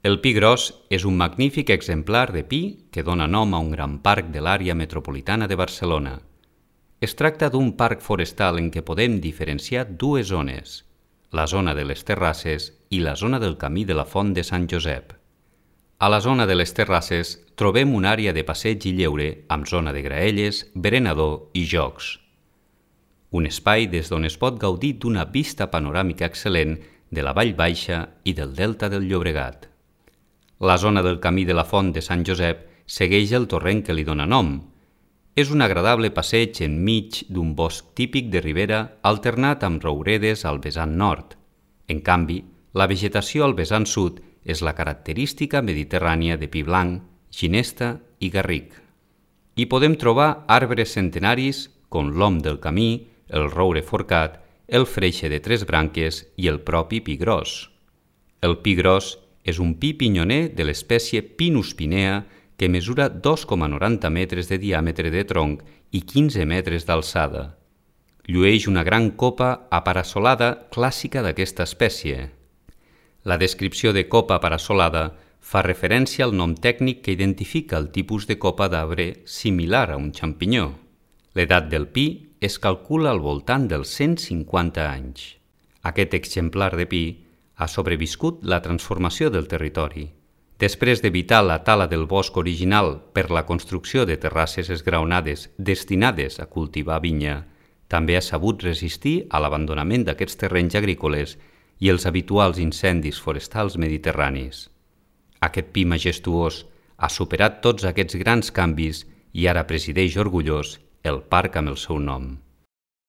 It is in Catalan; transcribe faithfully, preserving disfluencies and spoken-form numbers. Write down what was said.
El pi gros és un magnífic exemplar de pi que dona nom a un gran parc de l'àrea metropolitana de Barcelona. Es tracta d'un parc forestal en què podem diferenciar dues zones, la zona de les terrasses i la zona del camí de la Font de Sant Josep. A la zona de les terrasses trobem una àrea de passeig i lleure amb zona de graelles, berenador i jocs. Un espai des d'on es pot gaudir d'una vista panoràmica excel·lent de la Vall Baixa i del Delta del Llobregat. La zona del camí de la Font de Sant Josep segueix el torrent que li dóna nom. És un agradable passeig enmig d'un bosc típic de ribera alternat amb rouredes al vessant nord. En canvi, la vegetació al vessant sud és la característica mediterrània de pi blanc, ginesta i garric. Hi podem trobar arbres centenaris com l'om del camí, el roure forcat, el freixe de tres branques i el propi pi gros. El pi gros és un pi pinyoner de l'espècie Pinus pinea que mesura dos coma noranta metres de diàmetre de tronc i quinze metres d'alçada. Llueix una gran copa aparassolada clàssica d'aquesta espècie. La descripció de copa aparassolada fa referència al nom tècnic que identifica el tipus de copa d'arbre similar a un xampinyó. L'edat del pi es calcula al voltant dels cent cinquanta anys. Aquest exemplar de pi ha sobreviscut la transformació del territori. Després d'evitar la tala del bosc original per la construcció de terrasses esgraonades destinades a cultivar vinya, també ha sabut resistir a l'abandonament d'aquests terrenys agrícoles i els habituals incendis forestals mediterranis. Aquest pi majestuós ha superat tots aquests grans canvis i ara presideix orgullós el parc amb el seu nom.